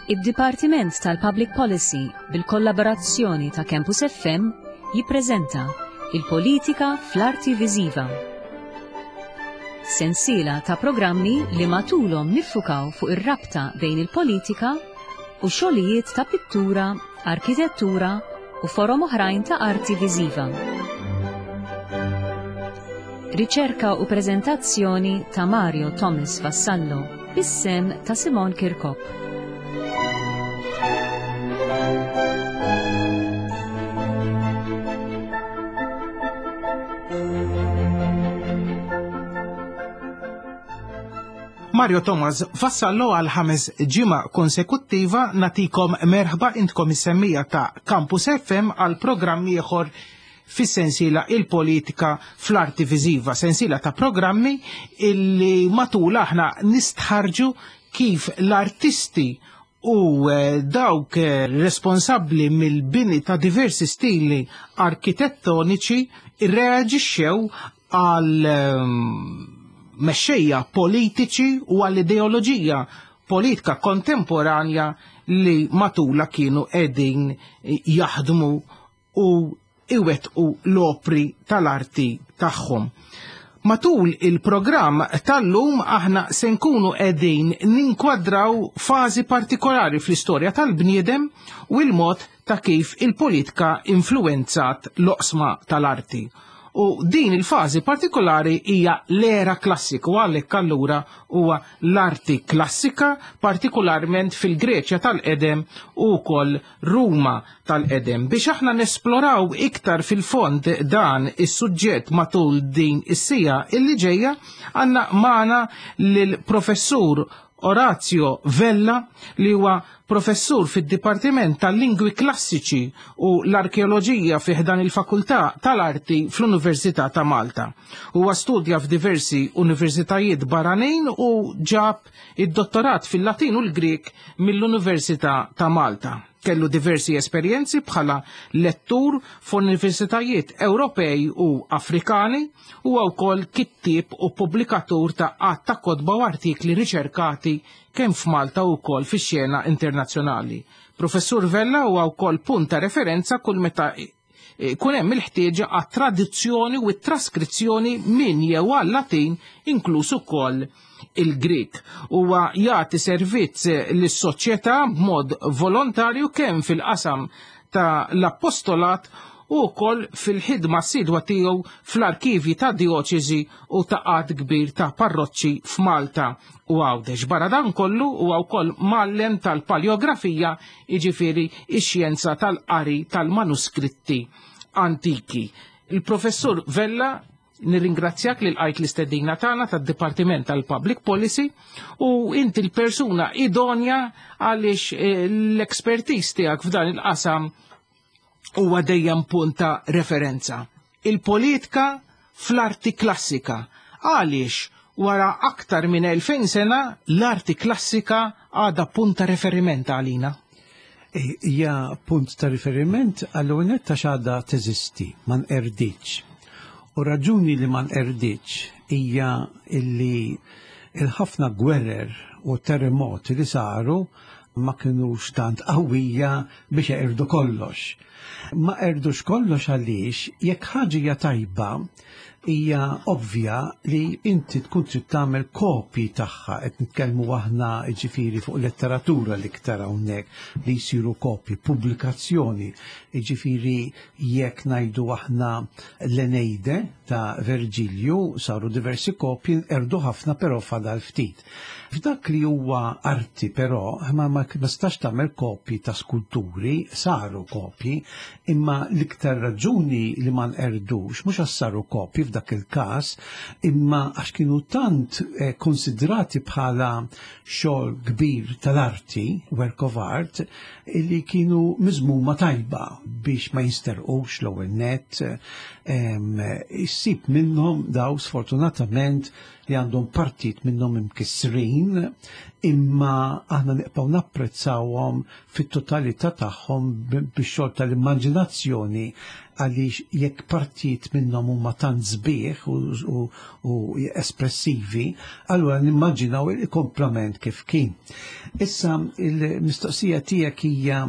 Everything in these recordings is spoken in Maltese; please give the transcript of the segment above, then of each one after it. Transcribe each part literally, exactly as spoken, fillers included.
Id-Dipartiment tal-Public Policy bil-kollaborazzjoni ta' Campus F M jippreżenta Il-Politika fl-Arti Viżiva. Sensiela ta' programmi li matulhom niffukaw fuq ir-rabta bejn il-politika u xogħlijiet ta' pittura, arkitettura u forom oħrajn ta' arti viżiva. Riċerka u preżentazzjoni ta' Mario Thomas Vassallo, bis-sehem ta' Simon Kirkop. Mario Thomas Vassallo għal ħames ġimgħa konsekuttiva nagħtikom merħba intkom is-semmiegħa ta' Campus F M għal programm ieħor fis-sensiela Il-Politika fl-Arti Viżiva, sensiela ta' programmi illi matul aħna nistħarġu kif l-artisti u eh, dawk eh, responsabbli mill-bini ta' diversi stili arkitettoniċi irreaġixxew għal ehm, mexxejja politiċi u għall-ideoloġija politika kontemporanja li matula kienu qegħdin jaħdmu u iwettqu l-opri tal-arti tagħhom. Matul il-programm tal-lum aħna se nkunu qegħdin ninkwadraw fażi partikolari fl-istorja tal-bniedem u il-mod ta' kif il-politika influenzat l-oqsma tal-arti. U din il-fażi partikolari hija l-era klassika u għalhekk allura huwa l-arti klassika, partikolarment fil-Greċja tal-qedem u wkoll Ruma tal-qedem. Biex aħna nesploraw iktar fil-fond dan is-suġġett matul din is-siegħa illi ġejja, għandna magħna lill-professur Orazio Vella, li huwa professur fid-Dipartiment tal-Lingwi Klassiċi u l-Arkeoloġija fi ħdan il-Fakultà tal-Arti fl-Università ta' Malta. Huwa studja f'diversi universitajiet barranin u ġab id-dottorat fil-Latin u l-Grek mill-Università ta' Malta. Kellu diversi esperjenzi bħala lettur f'universitajiet Ewropej u Afrikani u wkoll kittieb u pubblikatur ta' għadd ta' kotba u artikli riċerkati kemm f'Malta u wkoll fix-xena internazzjonali. Professur Vella huwa wkoll punt ta' referenza kull meta kun hemm il-ħtieġa għat traduzzjoni u t-traskrizzjoni minn jew għal Latin, inkluż ukoll il-Grik. Huwa jagħti servizz lis-soċjetà b'mod volontarju kemm fil-qasam ta' l-appostolat u wkoll fil-ħidma assidwa tiegħu fl-arkivji ta' dioċesi u ta' għadd kbir ta' parroċċi f'Malta u Għawdex. Barra dan kollu huwa wkoll mgħallem tal-paleografija, jiġifieri ix-xjenza tal-qari tal-manuskritti antiki. Il-professur Vella, nirringrazzjak li lqajt l-istedina tagħna tad-Dipartiment tal-Public Policy u inti l-persuna idonja għaliex eh, l-expertise tiegħek f'dan il-qasam huwa dejjem punt ta' referenza. Il-politika fl-arti klassika. Għaliex wara aktar minn elfejn sena l-arti klassika għadha punt ta' riferiment għalina? Hija punt ta' riferiment għall-ewwel ta' għadha teżisti, ma nqerditx. U raġuni li ma nqerditx hija illi il-ħafna gwerer u terremoti li saru ma kienux tant qawwija biex jeqirdu kollox. Ma qerdux kollox għaliex jekk ħaġa hija tajba, hija ovvja li inti tkun trid tagħmel kopji tagħha. Qed nitkellmu aħna, ġifieri, fuq letteratura l-iktar hawnhekk li jsiru kopji, pubblikazzjoni, ġifieri jekk ngħidu aħna l-Eneide ta' Verġilju saru diversi kopji, nqerdu ħafna però fadal ftit. F'dak li huwa arti però ma ma nistax tagħmel kopji ta' skulturi, saru kopji, imma l-iktar raġuni li ma nqerdux mhux għax saru kopji f'dak il-każ, imma għax kienu tant eh, konsidrati bħala xogħol kbir tal-arti, work of art, li kienu miżmuma tajba biex ma jinsterqux l-ewwel net. Issib minnhom daw sfortunatament li għandhom partit minnhom imkissrin, imma aħna nibqgħu napprezzawhom fit-totalità tagħhom bix-xogħol tal-immaġinazzjoni. Għaliex jekk partijiet minnhom huma tant sbieħ u, u, u espressivi, allura nimmaġinaw il-komplament kif kien. Issa il-mistoqsija tiegħek hija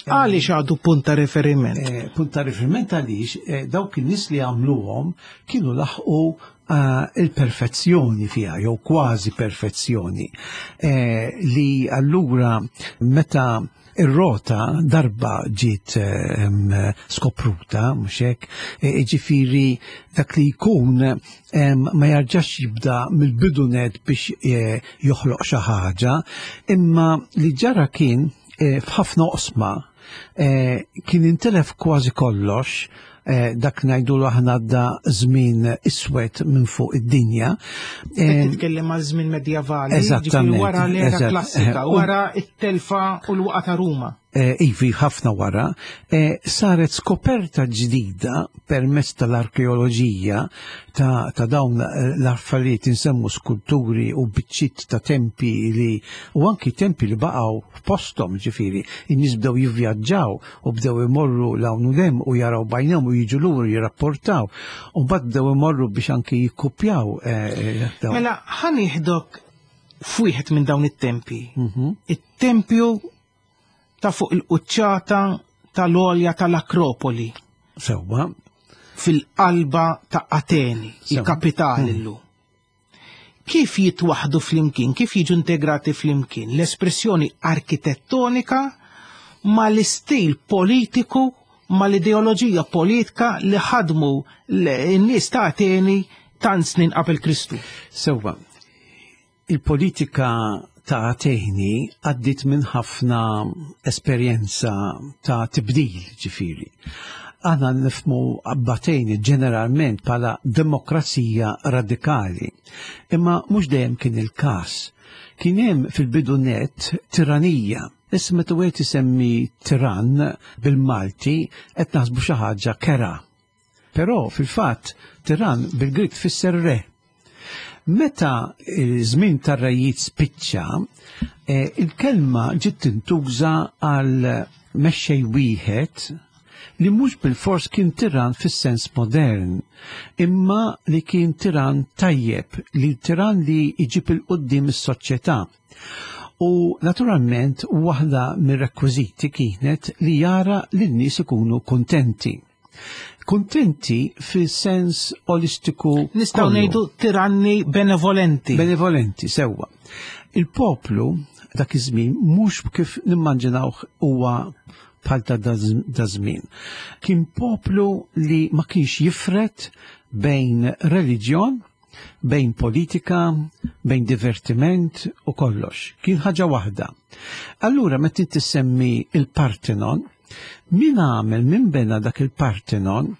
Għaliex għadu punt ta' riferiment? Eh, punt ta' riferiment għaliex eh, dawk in-nies li għamluhom kienu laħqu eh, il-perfezzjoni fiha, jew kważi perfezzjoni, eh, li allura meta ir-rota darba ġiet ehm, skopruta, mhux hekk, eh, ġifieri dak li jkun ehm, ma jarġax jibda mill-bidunet biex eh, joħloq xi ħaġa, imma li ġara kien eh, f'ħafna oqsma eh, kien intelef kważi kollox, eh, dak ngħidu aħna da żmien iswed minn fuq id-dinja. Qed Eh, titkellem għal żmien medjevali, Eżattament, ġifieri wara l-era eżatt. klassika, Eh, u- wara it-telfa u l-waqa ta' Ruma. eh, ivi ħafna wara, eh, saret skoperta ġdida permezz tal-arkeoloġija ta', ta' dawn l-affarijiet insemmu skulturi u biċċiet ta' tempi li u anki tempi li baqgħu f'posthom, ġifieri, in-nies bdew jivvjaġġaw u bdew imorru 'l hawn u 'l hemm u jaraw b'għajnejhom u jiġu lura jirrapportaw. U mbagħad bdew imorru biex anki jikkupjaw eh, dawn. Mela ħa nieħdok f'wieħed minn dawn it-tempi. Mhm. It-tempju ta' fuq il-quċċata tal-għolja tal-Akropoli Sewwa. fil-qalba ta' Ateni, Sewa. il-kapitali llum. Kif jitwaħdu flimkien, kif jiġu integrati flimkien l-espressjoni arkitettonika ma l-istil politiku, ma l-ideoloġija politika li ħadmu l-nies ta' Ateni tant snin qabel Kristu? Sewwa, il-politika ta' Ateni għaddit minn ħafna esperjenza ta' tibdil, ġifieri. Aħna nifhmu b'Ateni ġeneralment bħala demokrazija radikali, imma mhux dejjem kien il-każ. Kien hemm fil-bidunet tiranija. Issa meta wieħed isemmi tiran bil-Malti qed naħsbu xi ħaġa kerha. Però fil-fatt tiran bil-Grik tfisser re. Meta il-żmien tar-rejiet spiċċa, eh, il-kelma ġiet tintuża għal mexxej wieħed li mhux bil-fors kien tiran fis-sens modern, imma li kien tiran tajjeb, li tiran li jġib 'il quddiem is-soċjetà. U naturalment waħda mir-rekwiżiti kienet li jara li n-nies ikunu kontenti. Kontenti fis-sens olistiku Nistgħu kollu. ngħidu tiranni benevolenti. Benevolenti, sewwa. Il-poplu dak iż-żmien mhux kif nimmaġinawh huwa bħal ta' da żmien. Kien poplu li ma kienx jifret bejn reliġjon, bejn politika, bejn divertiment u kollox. Kien ħaġa waħda. Allura meta inti semmi il-Partenon, min għamel, min bena dak il-Partenon,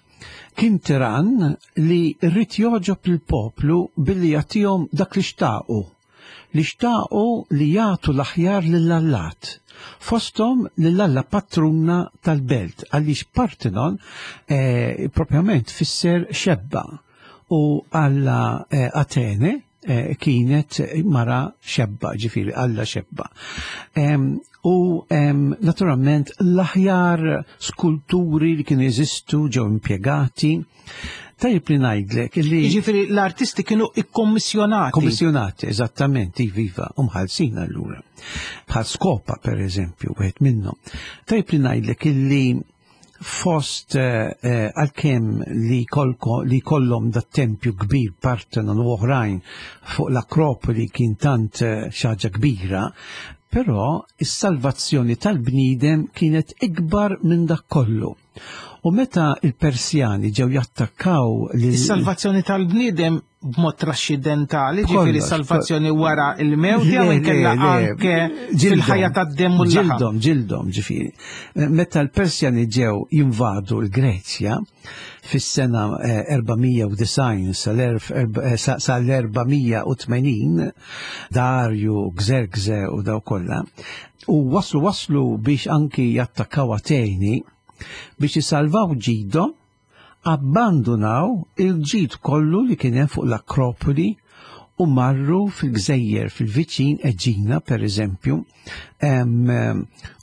kien tiran li rrid jogħġob il-poplu billi jagħtihom dak li xtaqu. Li xtaqu li jagħtu l-aħjar lill-allat. Fosthom lill-alla patruna tal-belt, għaliex Partenon eh, propjament fisser xebba u alla eh, Atene eh, kienet mara xebba, ġifieri alla xebba. Em, u em, naturalment l-aħjar skulturi li kienu jeżistu ġew impjegati. Tajjeb li ngħidlek li Jiġifieri l-artisti kienu ikkommissjonati. Kommissjonati, eżattament, iva, umħalsin allura. Bħal Skopa, per eżempju, wieħed minnhom. Tajjeb li ngħidlek illi fost eh, eh, għalkemm li kolko, li kollhom da tempju kbir Partenon u oħrajn fuq l-Akropoli kien tant eh, xi ħaġa kbira, però is-salvazzjoni tal-bniedem kienet ikbar minn dak kollu. U meta il-Persjani ġew jattakkaw lil Is-salvazzjoni tal-bniedem b'mod trascendentali, ġifieri Kollox. salvazzjoni wara il-mewt jew Le, inkella le, le. anke Ġildhom. fil-ħajja tad-demm u l-laħam. Ġildhom, ġildhom, ġifieri. Meta l-Persjani ġew jinvadu l-Greċja fis-sena eh, erba' mija u disgħin sal-erba' mija u tmenin, Darju, Xerxe u daw kollha, u waslu waslu biex anki jattakkaw Ateni biex jisalvaw ġidhom, abbandunaw il-ġid kollu li kien hemm fuq l-Akropoli. u marru fil-gżejjer fil-viċin Eġina, per eżempju,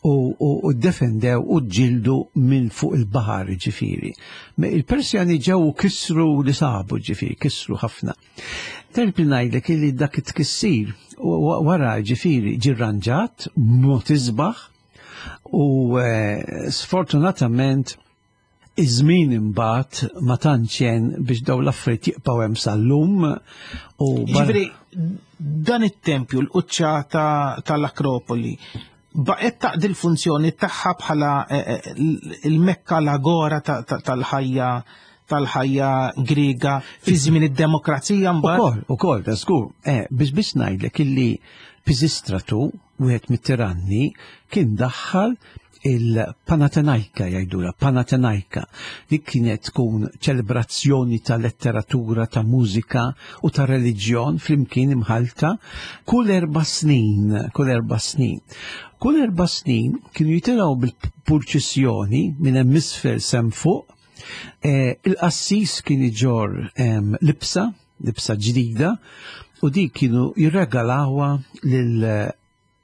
u defendew u ġildu minn fuq il-baħar, ġifieri. Il-Persjani ġew kisru li sabu, ġifieri, kisru ħafna. Terbi ngħidlek li dak it-tkissir wara, ġifieri, ġirranġat mod isbaħ u sfortunatament iż-żmien imbagħad ma tantx jen biex dawn l-affarijiet jibqgħu hemm sal-lum. U ġifieri dan it-tempju, l-quċċata tal-Akropoli, baqgħet taqdi l-funzjoni tagħha bħala il-Mekka, l-agora tal-ħajja tal-ħajja Griega fi żmien id-demokrazija mbagħad? Ukoll, ukoll, da żgur. Eh, biex biex ngħidlek illi Pisistratu, wieħed mit-tiranni, kien daħħal il-Panatenaika, jgħidula, Panatenaika, li kienet tkun ċelebrazzjoni ta' letteratura, ta' mużika u ta' reliġjon flimkien imħalta kull erba' snin, kull erba' snin. Kull erba' snin kienu jitilgħu bil-purċissjoni minn hemm isfel sem fuq, eh, il-qassis kien iġorr libsa, libsa ġdida, u dik kienu jirregalawha lil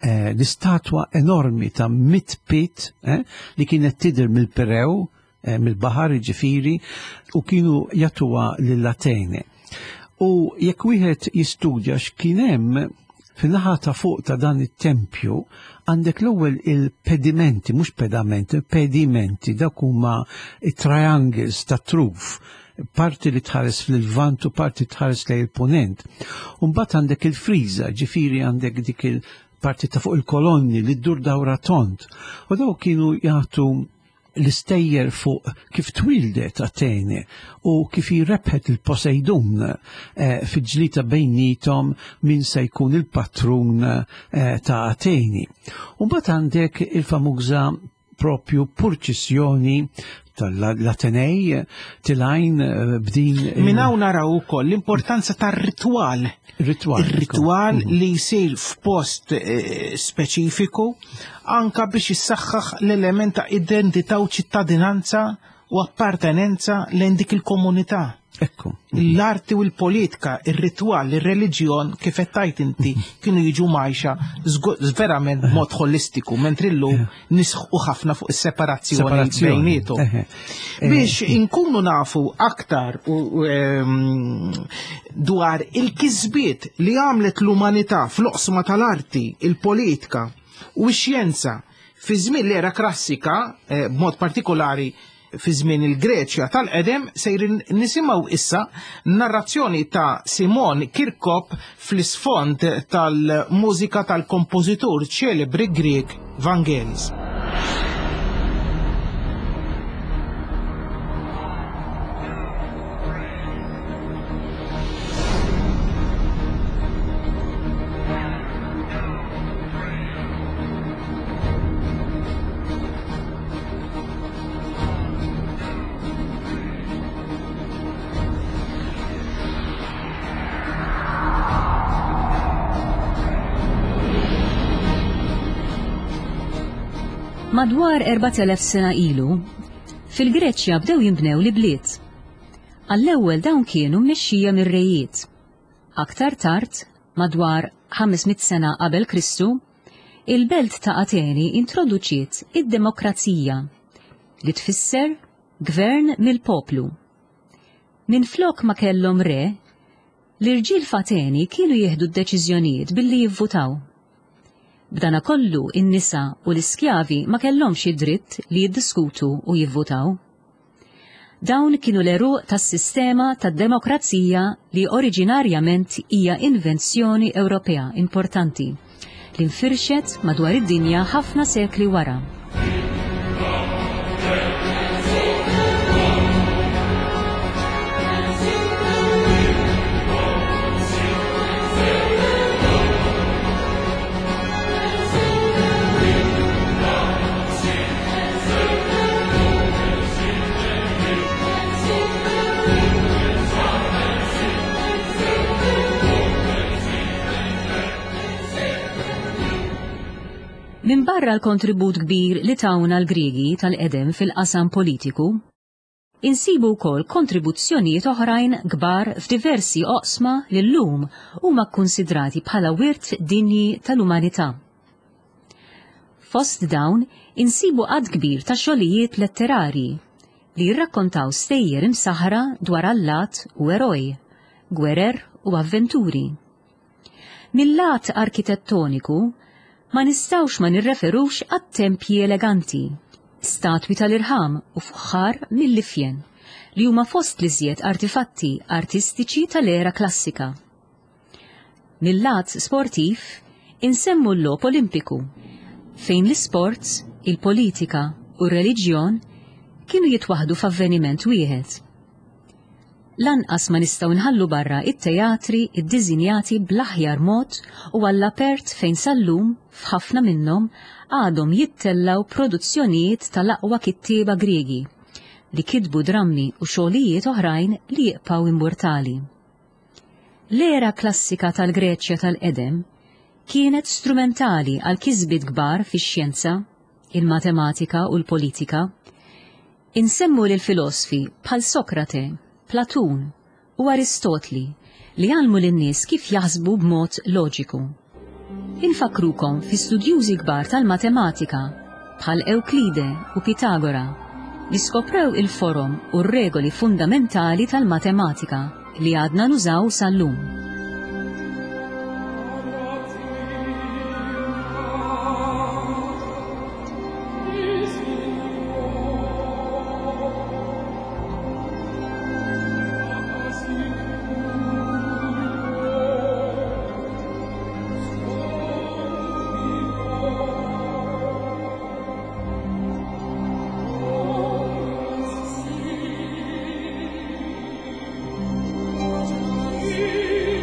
l-istatwa enormi ta' mit pit eh, li kienet tidher mill-Pirew, eh, mill-baħar ġifieri, u kienu jagħtuha lill-Atene. U jekk wieħed jistudja x'kien hemm fin-naħa ta' fuq ta' dan it-tempju, għandek l-ewwel il-pedimenti, mhux pedamenti, pedimenti, dak huma triangles ta' truf, parti li tħares fil-Lvant u parti tħares lejn il-Punent. U mbagħad għandek il-friża, ġifieri għandek dik il- parti ta' fuq il-kolonni li ddur dawra tont. U daw kienu jagħtu l-istejjer fuq kif twildet Atene u kif rebħet il-Poseidon eh, fil-ġlita bejnietom min se jkun il-patrun eh, ta' Ateni. U mbagħad għandek il-famuża propju purċissjoni tal-Atenej tilajn b'din. Minn hawn naraw ukoll l-importanza tar-ritwal. Ritwal. Ir-ritwal li jsir f'post speċifiku anka biex jissaħħaħ l-element ta' identità u ċittadinanza u appartenenza lejn dik il-komunità. Ekku. L-arti u l-politika, ir-ritwal, ir-reliġjon, kif qed tgħid inti, kienu jiġu majxa verament b'mod holistiku, mentri llum nisħu ħafna fuq is-separazzjoni bejniethom. Biex inkunu nafu aktar dwar il-kisbiet li għamlet l-umanità fl-oqsma tal-arti, il-politika u x-xjenza fi żmien l-era klassika, b'mod partikolari fi żmien il-Greċja tal-qedem, sejrin nisimgħu issa narrazzjoni ta' Simon Kirkop fl-isfond tal-mużika tal-kompożitur ċelebri Grieg Vangelis. Madwar erbat elef sena ilu, fil-Greċja bdew jinbnew l-bliet. Għall-ewwel dawn kienu mmexxija mir-rejiet. Aktar tard, madwar ħames mitt sena qabel Kristu, il-belt ta' Ateni introduċiet id-demokrazija, li tfisser gvern mill-poplu. Minflok ma kellhom re, l-irġiel f'Ateni kienu jieħdu d-deċiżjonijiet billi jivvutaw. B'dana kollu in-nisa u l-iskjavi ma kellhomx id-dritt li jiddiskutu u jivvutaw. Dawn kienu l-eruq tas-sistema tad-demokrazija li oriġinarjament hija invenzjoni Ewropea importanti li nfirxet madwar id-dinja ħafna sekli wara. Min barra l-kontribut kbir li tawna l-Griegi tal-qedem fil-qasam politiku, Insibu wkoll kontribuzzjonijiet oħrajn kbar f'diversi oqsma li llum huma kkunsidrati bħala wirt dinji tal-umanità. Fost dawn insibu għadd kbir ta' xogħlijiet letterarji li jirrakkontaw stejjer imsaħra dwar allat u eroj, gwerer u avventuri. Mil-lat arkitettoniku ma nistgħux ma nirreferux għat-tempji eleganti, statwi tal-irħam u fuħħar mill-ifjen li huma fost l-iżjed artifatti artistiċi tal-era klassika. Mil-lat sportiv insemmu l-logħob Olimpiku, fejn l-isports, il-politika u r-reliġjon kienu jitwaħdu f'avveniment wieħed. Lanqas ma nistgħu nħallu barra it-teatri iddiżinjati bl-aħjar mod u għall-apert fejn sal-lum f'ħafna minnhom għadhom jittellaw produzzjonijiet tal-aqwa kittieba Griegi li kitbu drammi u xogħlijiet oħrajn li jibqgħu immortali. L-era klassika tal-Greċja tal-qedem kienet strumentali għal kisbiet kbar fix-xjenza, il-matematika u l-politika. Insemmu lil filosfi bħal Sokrate, Platun u Aristotli li għallmu lin-nies kif jaħsbu b'mod loġiku. Infakkrukom fi studjużi kbar tal-matematika bħal Ewklide u Pitagora li skoprew il-forom u r-regoli fundamentali tal-matematika li għadna nużaw sal-lum. Thank you.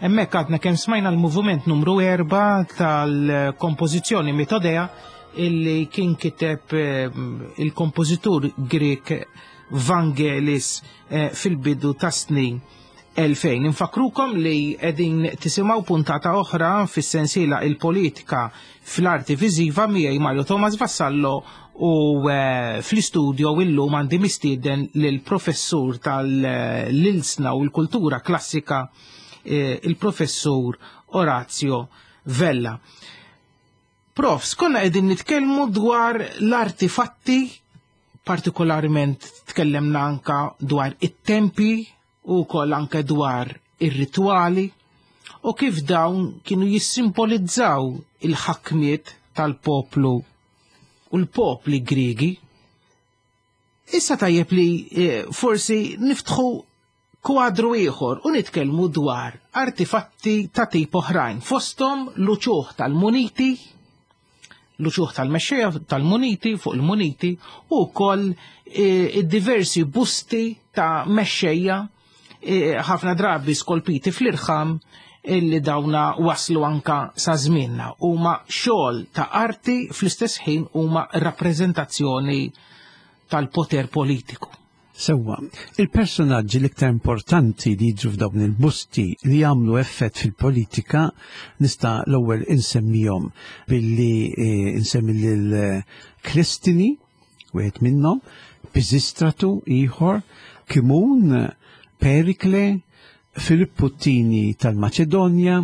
Hemmhekk għadna kemm smajna l-moviment numru erba' tal-kompożizzjoni Mythodea illi kien kiteb eh, il-kompożitur Grek Vangelis eh, fil-bidu ta' snin elfejn. Infakrukom li qegħdin tisimgħu puntata oħra fis-sensiela Il-Politika fl-Arti Viżiva miegħi Mario Thomas Vassallo u eh, fl-istudio illum għandi mistieden lill-professur tal-Ilsna u l-Kultura Klassika, il-professur Orazio Vella. Profs, konna qegħdin nitkellmu dwar l-artifatti, partikolarment tkellemna anka dwar it-tempi u wkoll anke dwar ir-ritwali u kif dawn kienu jissimbolizzaw il-ħakmiet tal-poplu u l-popli Griegi. Issa tajjeb li eh, forsi niftħu kwadru ieħor u nitkellmu dwar artifatti ta' tip oħrajn, fosthom l-uċuħ tal-muniti, l-uċuħ tal-mexxejja tal-muniti fuq il-muniti u wkoll id-diversi busti ta' mexxejja ħafna drabi skolpiti fl-irħam illi dawna waslu anka sa żmienna. Huma xogħol ta' arti, fl-istess ħin huma rappreżentazzjoni tal-poter politiku. Sewwa, il-personaġġi l-iktar importanti li jiġu f'dawn il-busti li jagħmlu effett fil-politika nista' l-ewwel insemmihom billi eh, insemmi lil Klistini, wieħed minnhom, Pisistratu ieħor, Kimun, Perikle, Filippu Tini tal-Maċedonja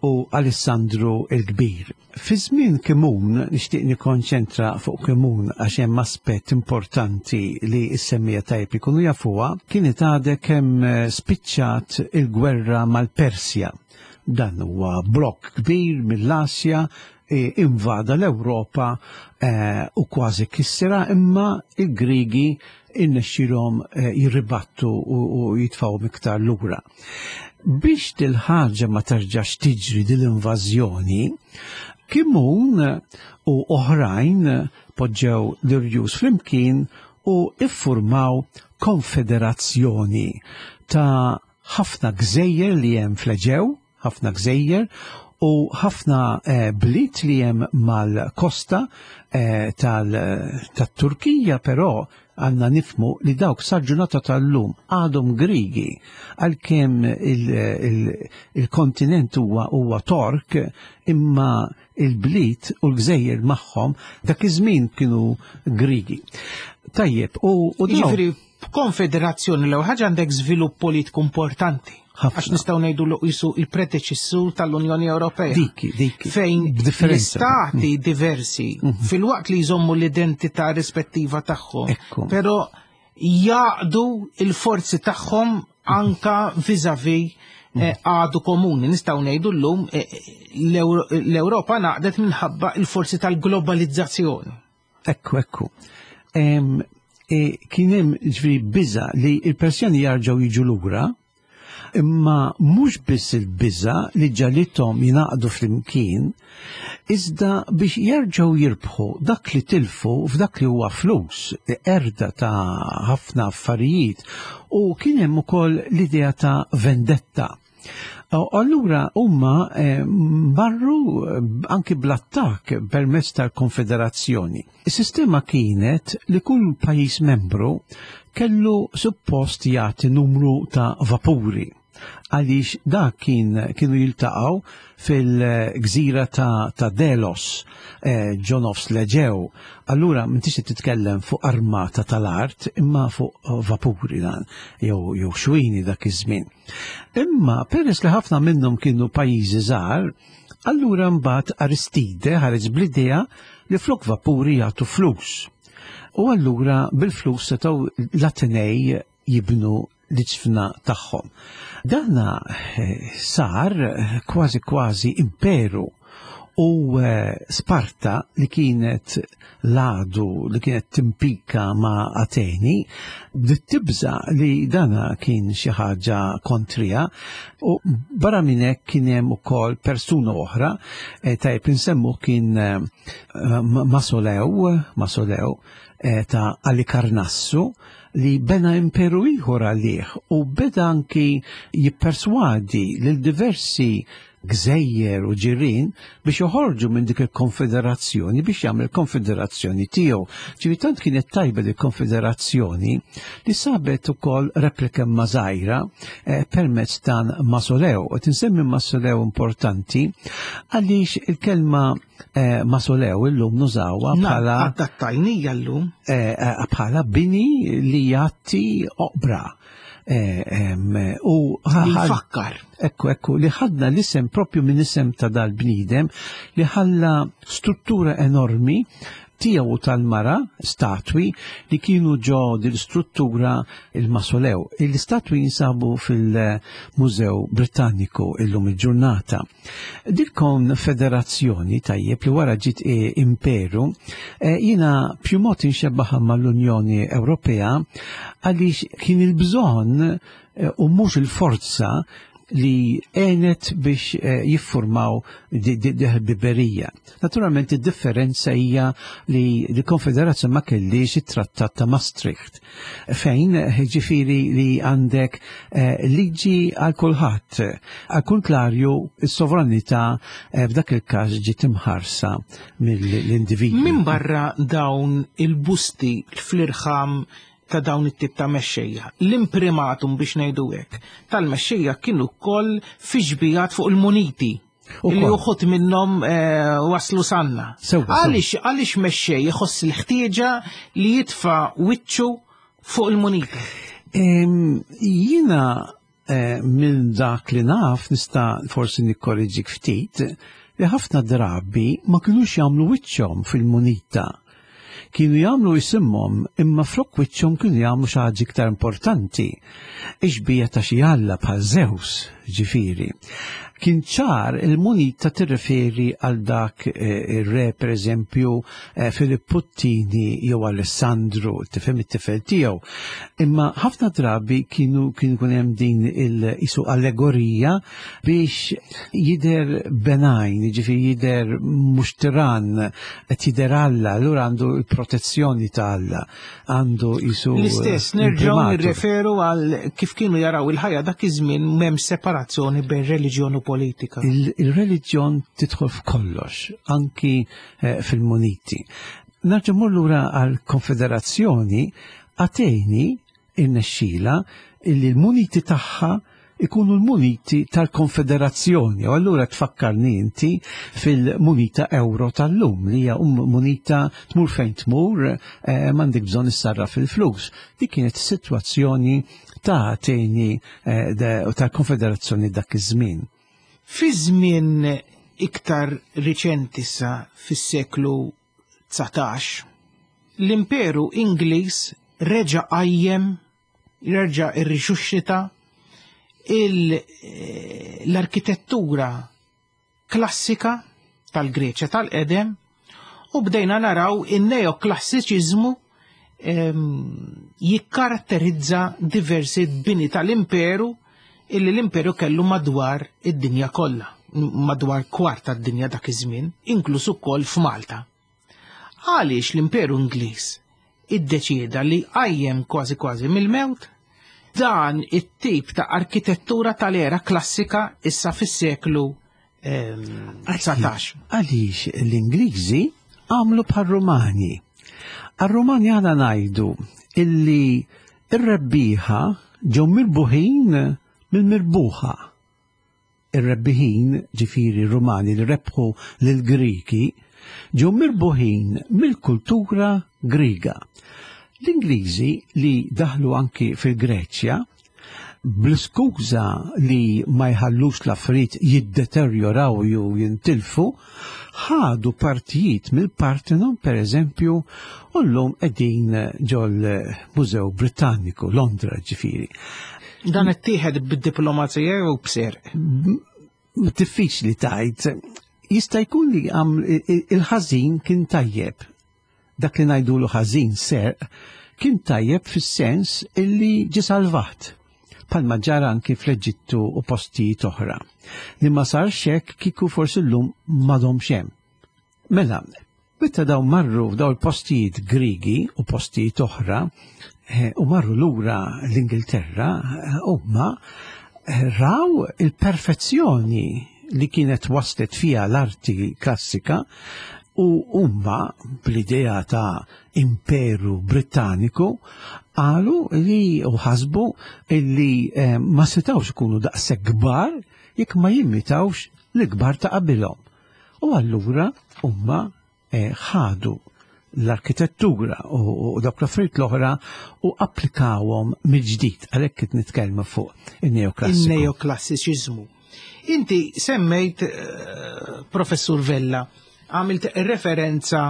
u Alessandru il-Kbir. Fi żmien Kimun, nixtieq nikkonċentra fuq Kimun għax hemm aspett importanti li s-semmija tajb ikunu jafuha, kienet għadha kemm spiċċat il-gwerra mal-Persja. Dan huwa blokk kbir mill-Asja, invada l-Ewropa u kważi kissera, imma il-Grigi innexxilhom jirribattu u jitfgħu iktar lura. Biex dil-ħaġa ma terġax tiġri dil-invażjoni, Kimun u oħrajn poġġew l-irjus flimkien u iffurmaw konfederazzjoni ta' ħafna gżejjer li hemm fl-Eġew, ħafna gżejjer u ħafna eh, bliet li hemm mal-kosta eh, tat-Turkija, però għanna nifmu li dawk sal-ġurnata tal-lum għadhom Grigi, għalkemm il-kontinent huwa huwa Tork, imma il-bliet u l-gżejjer magħhom dak iż-żmien kienu Grigi. Tajjeb, u, u Jiġifieri b'konfederazzjoni l-ewwel ħaġa għandek żvilupp politiku importanti. Għax nistgħu ngħidu l qisu il-predeċessur tal-Unjoni Ewropea. Diki, diki. Fejn l-istati diversi fil-waqt li jżommu l-identità rispettiva tagħhom, però jaqdu il-forzi tagħhom anka vis-à-vis għadu komuni. Nistgħu ngħidu llum l-Ewropa naqdet minħabba il-forzi tal-globalizzazzjoni. Ekku, ekku. Kien hemm ġifieri biża' li l-Persjani jarġgħu jiġu lura, imma mhux biss il-biża' li ġalithom jingħaqdu flimkien, iżda biex jerġgħu jirbħu dak li tilfu f'dak li huwa flus, erda ta' ħafna affarijiet, u kien hemm ukoll l-idea ta' vendetta. Allura huma marru anki bl-attakk permezz tal-Konfederazzjoni. Is-sistema kienet li kull pajjiż membru kellu suppost jagħti numru ta' vapuri, għaliex dak kien kienu jiltaqgħu fil-gżira ta', ta Delos, eh, ġo nofs l-Eġew. Allura m'intix titkellem fuq armata tal-art, imma fuq vapuri dan, jew jew xwini dak iż-żmien. Imma peress li ħafna minnhom kienu pajjiżi żgħar, allura mbagħad Aristide ħareġ bl-idea li flok vapuri jagħtu flus. U allura bil-flus setgħu l-Atenej jibnu l-ġfna tagħhom. Dana sar kważi kważi imperu, u Sparta li kienet l-għadu li kienet timpika ma' Ateni bdiet tibża li dana kien xi ħaġa kontrija, u barra minn hekk kien hemm ukoll persuna oħra, tajjeb insemmu kien Masolew, Masolew ta' Alikarnassu, li bena imperu ieħor għalih u beda anki jipperswadi lil diversi gżejjer u ġirien biex joħorġu minn dik il-konfederazzjoni biex jagħmel konfederazzjoni tiegħu. Ġifieri tant kienet tajba il konfederazzjoni li sabet ukoll replika żgħira eh, permezz dan Masolew. U tinsemmi Masolew importanti għaliex il-kelma eh, Masolew illum nużawha bħala adattajnija llum eh, bħala bini li jagħti oqbra. U fakkar. Ekku, ekku, li ħadna l-isem propju minn isem ta' dal-bniedem li ħalla struttura enormi tiegħu tal-mara, statwi, li kienu ġo dil-struttura il-Masolew. Il-statwi jinsabu fil-Mużew Britanniku illum il-ġurnata. Dil konfederazzjoni tajjeb li wara ġiet imperu, jiena più mod inxebbaħa mal-Unjoni Ewropea għaliex kien il-bżonn u mhux il-forza li għenet biex jiffurmaw di-ħbiberija. Naturalment id-differenza hija li l-Konfederazzjoni ma kellix it-Trattat ta' Maastricht, fejn ġifieri li għandek liġi għal kulħadd. Għal kontrarju, is-sovranità f'dak il-każ ġiet imħarsa mill-individwi. Min barra dawn il-busti fl-irħam ta' dawn it-tip ta' mexxejja. L-imprimatum biex ngħidu hekk tal-mexxejja kienu wkoll fi xbijat fuq il-muniti li uħud minnhom waslu sanna. Għaliex għaliex mexxej iħoss il-ħtieġa li jitfa' wiċċu fuq il-munita? Jiena minn dak li naf nista' forsi nikkorriġik ftit li ħafna drabi ma kinux jagħmlu wiċċhom fil-munita. Kienu jagħmlu isimhom imma flok wiċċhom kienu jagħmlu xi ħaġa iktar importanti. Ixbija ta' xi alla bħal Zeus, ġifieri. Kien ċar il-munita tirreferi għal dak ir-re pereżempju Filippu t-tieni jew Alessandru, tifhem it-tifel tiegħu. Imma ħafna drabi kienu kien ikun hemm din il-isu allegorija biex jidher benajn, jiġifieri jidher mhux tiran, qed jidher Alla, allura għandu l-protezzjoni ta' Alla, għandu isu. L-istess nerġgħu nirreferu għal kif kienu jaraw il-ħajja dak iż-żmien m'hemm separazzjoni bejn reliġjon u politika. Il-reliġjon tidħol f'kollox, anki fil-muniti. Nerġa' mmur lura għall-Konfederazzjoni, Ateni irnexxila illi l-muniti tagħha ikunu l-muniti tal-Konfederazzjoni. U allura tfakkarni inti fil-munita euro tal-lum, li hija munita tmur fejn tmur, m'għandek bżonn issarraf fil-flus. Dik kienet is-sitwazzjoni ta' Ateni tal-Konfederazzjoni dak iż-żmien. Fi żmien iktar riċenti sa fis-seklu dsatax, l-Imperu Ingliż reġa' qajjem, reġa' irrixuxxita l-arkitettura klassika tal-Greċja tal-qedem u bdejna naraw in-neoklassiċiżmu jikkaratterizza diversi bini tal-imperu illi l-imperu kellu madwar id-dinja kollha, madwar kwart tad-dinja dak iż-żmien, inkluż ukoll f'Malta. Għaliex l-Imperu Ingliż iddeċieda li qajjem kważi kważi mill-mewt dan it-tip ta' arkitettura tal-era klassika issa fis-seklu dsatax? Għaliex l-Ingliżi għamlu bħar-Rumani. Għar-Rumani għana ngħidu illi ir-rebbieħa ġew mirbuħin mill-mirbuħa. Ir-rebbiħin, ġifieri Rumani li rebħu lill-Griki, ġew mirbuħin mill-kultura Griega. L-Ingliżi li daħlu anki fil-Greċja, bl-iskuża li ma jħallux l-affarijiet jiddeterjoraw jew jintilfu, ħadu partijiet mill-Parthenon per eżempju, u llum qegħdin ġol-Mużew Britanniku, Londra ġifieri. Dan ittieħed bid-diplomazija jew b'serq? Diffiċli tajt. Jista' jkun li il-ħażin kien tajjeb. Dak li ngħidulu ħażin serq kien tajjeb fis-sens illi ġie salvat. Palma ġara anki fl-Eġittu u postijiet oħra. Li ma sarx hekk kieku forsi llum m'għadhomx hemm. Mela, Meta daw marru f'daw il-postijiet Grigi u postijiet oħra eh, u marru lura l-Ingilterra, eh, huma eh, raw il-perfezzjoni li kienet waslet fija l-arti klassika u huma bl-idea ta' imperu Britanniku qalu li u ħasbu li eh, ma setawx ikunu daqshekk kbar jekk ma jimmitawx l-kbar ta' qabilhom. U allura huma eh, ħadu l-arkitettura u, u dawk l-affarijiet l-oħra u applikawhom mill-ġdid għalhekk qed nitkellmu fuq in-neoklassiku. Il-neoklassiċiżmu. Inti semmejt, eh, Professur Vella, għamilt referenza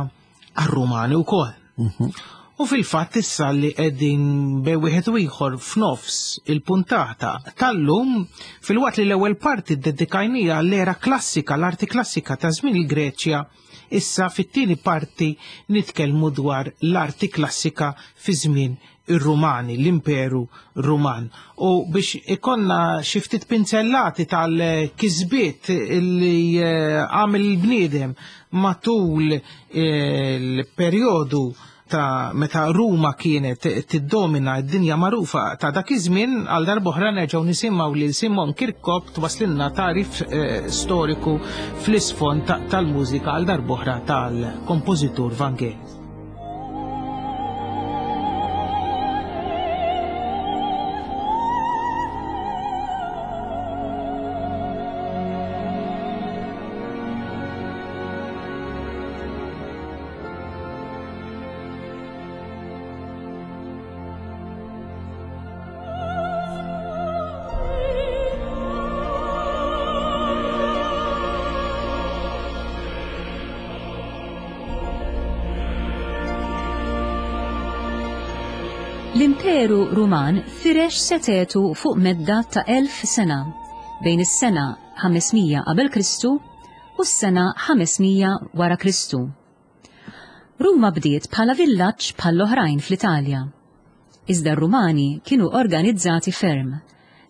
għar-Rumani wkoll. Mhm. U fil-fatt issa li qegħdin bejn wieħed u ieħor f'nofs il-puntata tal-lum, filwaqt li l-ewwel parti ddedikajnija l-era klassika, l-arti klassika ta' żmien il-Greċja, issa fit-tieni parti nitkellmu dwar l-arti klassika fi żmien ir-Rumani, l-Imperu Ruman. U biex ikonna xi ftit pinzellati tal-kisbiet li eh, għamel il-bniedem matul il-perjodu ta' meta Ruma kienet tiddomina d-dinja magħrufa ta' dak iż-żmien, għal darb'oħra nerġgħu nisimgħu lil Simon Kirkop twaslinna tarif eh, storiku fl-isfond ta- tal-mużika għal darb'oħra tal-kompożitur Vangelis. L-Imperu Ruman firex setetu fuq medda ta' elf sena, bejn is-sena ħames mija qabel Kristu u s-sena ħames mija wara Kristu. Ruma bdiet bħala villaġġ bħall-oħrajn fl-Italja. Iżda r-Rumani kienu organizzati ferm.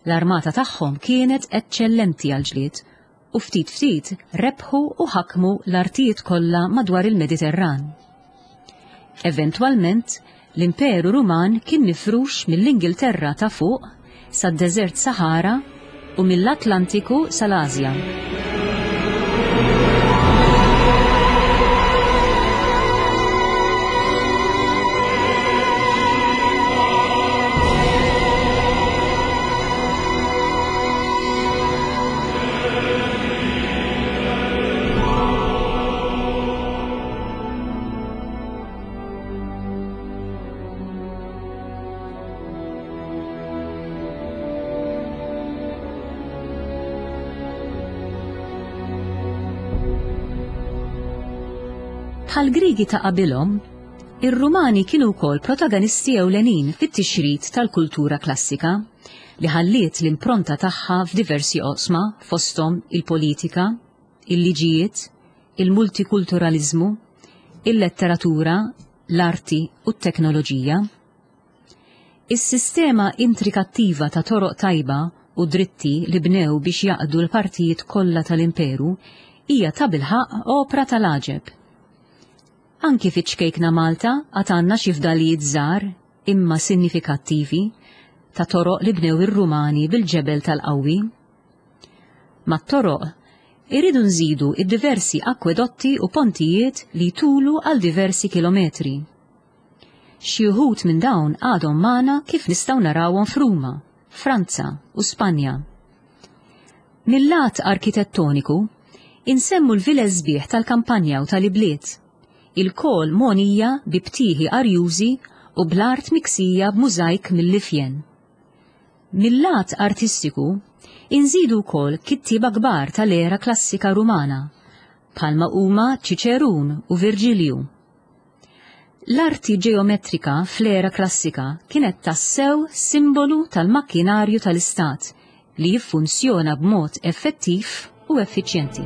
L-armata tagħhom kienet eċċellenti għal-ġlied u ftit ftit rebħu u ħakmu l-artijiet kollha madwar il-Mediterran. Eventwalment, l-Imperu Ruman kien mifrux mill-Ingilterra ta' fuq sad-Deżert Sahara u mill-Atlantiku sal-Asja. Bħal Grigi ta' qabilhom, ir-Rumani kienu wkoll protagonisti ewlenin fit-tixrid tal-kultura klassika li ħalliet l-impronta tagħha f'diversi oqsma fosthom il-politika, il-liġijiet, il-multikulturalizmu, il-letteratura, l-arti u t-teknoloġija. Is-sistema intrikattiva ta' toroq tajba u dritti li bnew biex jaqdu l-partijiet kollha tal-imperu hija ta' bilħaq opra tal-għaġeb. Anki fiċ-ċkejkna Malta għad għandna xi fdalijiet żgħar imma sinifikattivi ta' toroq li bnew ir-Rumani bil-ġebel tal-qawwi. Mat-toroq irridu nżidu id-diversi akwedotti u pontijiet li jtulu għal diversi kilometri. Xi wħud minn dawn għadhom magħna kif nistgħu narawhom f'Ruma, Franza u Spanja. Mil-lat arkitettoniku, insemmu l-vilez sbieħ tal-kampanja u tal-ibliet, ilkoll mogħnija bi btieħi arjużi u bl-art miksija b'mużajk mill-ifjen. Mil-lat artistiku, inżidu wkoll kittieba kbar tal-era klassika Rumana, bħalma huma Ċiċerun u Virġilju. L-arti ġeometrika fl-era klassika kienet tassew simbolu tal-makkinarju tal-istat li jiffunzjona b'mod effettiv u effiċjenti.